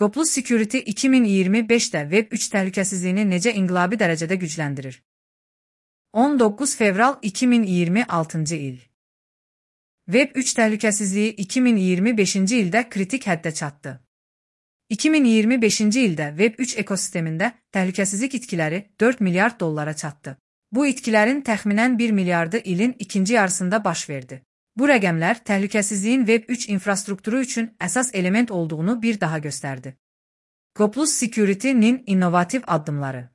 Goplus Security 2025'də Web3 təhlükəsizliyini necə inqilabi dərəcədə gücləndirir? 19 fevral 2026 il. Web3 təhlükəsizliyi 2025-ci ildə kritik həddə çatdı. 2025-ci ildə Web3 ekosistemində təhlükəsizlik itkiləri 4 milyard dollara çatdı. Bu itkilərin təxminən 1 milyardı ilin ikinci yarısında baş verdi. Bu rəqəmlər təhlükəsizliyin Web3 infrastrukturu üçün əsas element olduğunu bir daha göstərdi. Goplus Security-nin innovativ addımları.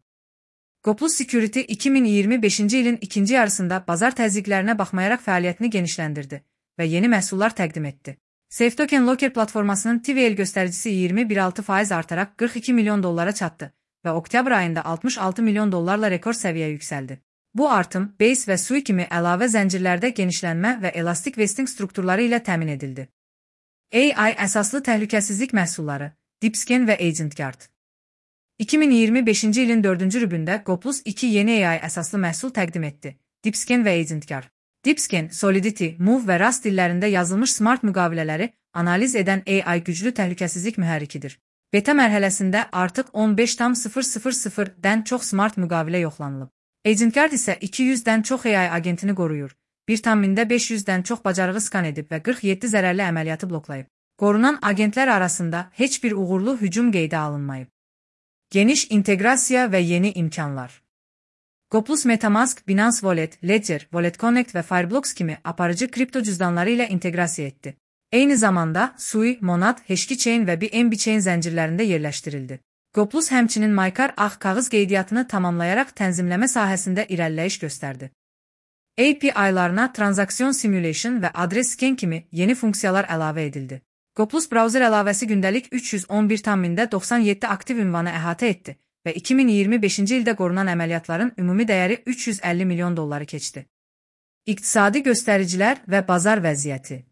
Goplus Security 2025-ci ilin ikinci yarısında bazar təzyiqlərinə baxmayaraq fəaliyyətini genişləndirdi və yeni məhsullar təqdim etdi. SafeToken Locker platformasının TVL göstəricisi 20,6% artaraq 42 milyon dollara çatdı və oktyabr ayında 66 milyon dollarla rekord səviyyəyə yüksəldi. Bu artım Base və Sui kimi əlavə zəncirlərdə genişlənmə və elastik vesting strukturları ilə təmin edildi. AI əsaslı təhlükəsizlik məhsulları, DeepScan və AgentGuard. 2025-ci ilin 4-cü rübündə Goplus 2 yeni AI əsaslı məhsul təqdim etdi, DeepScan və AgentGuard. DeepScan, Solidity, Move və Rust dillərində yazılmış smart müqavilələri analiz edən AI güclü təhlükəsizlik mühərrikidir. Beta mərhələsində artıq 15,000-dən çox smart müqavilə yoxlanılıb. AgentGuard isə 200-dən çox AI agentini qoruyur, 1,500-dən çox bacarığı skan edib və 47 zərərli əməliyyatı bloklayıb. Qorunan agentlər arasında heç bir uğurlu hücum qeydə alınmayıb. Geniş inteqrasiya və yeni imkanlar. Goplus MetaMask, Binance Wallet, Ledger, Wallet Connect və Fireblocks kimi aparıcı kripto cüzdanları ilə inteqrasiya etdi. Eyni zamanda Sui, Monad, HashKey və BNB Chain zəncirlərində yerləşdirildi. Goplus həmçinin Maykar ağ kağız qeydiyyatını tamamlayaraq tənzimləmə sahəsində irəliləyiş göstərdi. API-larına Transaction Simulation və Address Scan kimi yeni funksiyalar əlavə edildi. Goplus browser əlavəsi gündəlik 311,97 aktiv ünvanı əhatə etdi və 2025-ci ildə qorunan əməliyyatların ümumi dəyəri 350 milyon dolları keçdi. İqtisadi göstəricilər və bazar vəziyyəti.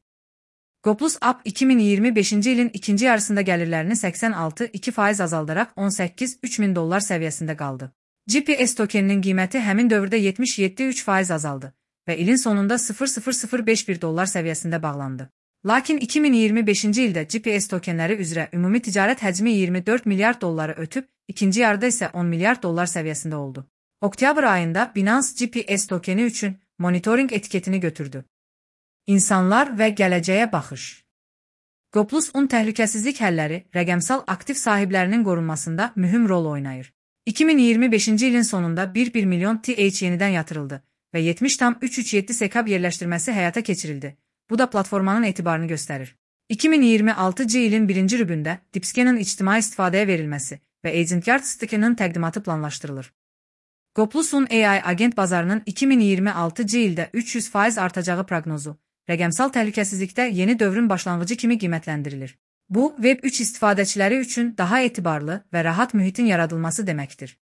Goplus App 2025-ci ilin ikinci yarısında gəlirlərini 86,2% azaldaraq 18,3 min dollar səviyyəsində qaldı. GPS tokeninin qiyməti həmin dövrdə 77,3% azaldı və ilin sonunda 0,0051 dollar səviyyəsində bağlandı. Lakin 2025-ci ildə GPS tokenləri üzrə ümumi ticarət həcmi 24 milyard dolları ötüb, ikinci yarıda isə 10 milyard dollar səviyyəsində oldu. Oktyabr ayında Binance GPS tokeni üçün monitoring etiketini götürdü. İnsanlar və gələcəyə baxış. Goplus un təhlükəsizlik həlləri rəqəmsal aktiv sahiblərinin qorunmasında mühüm rol oynayır. 2025-ci ilin sonunda 1 milyon TH yenidən yatırıldı və 70,337 sekab yerləşdirməsi həyata keçirildi. Bu da platformanın etibarını göstərir. 2026-cı ilin 1-ci rübündə DeepScan'ın ictimai istifadəyə verilməsi və AgentGuard stake'inin təqdimatı planlaşdırılır. Goplusun AI agent bazarının 2026-cı ildə 300% artacağı proqnozu, rəqəmsal təhlükəsizlikdə yeni dövrün başlanğıcı kimi qiymətləndirilir. Bu, Web3 istifadəçiləri üçün daha etibarlı və rahat mühitin yaradılması deməkdir.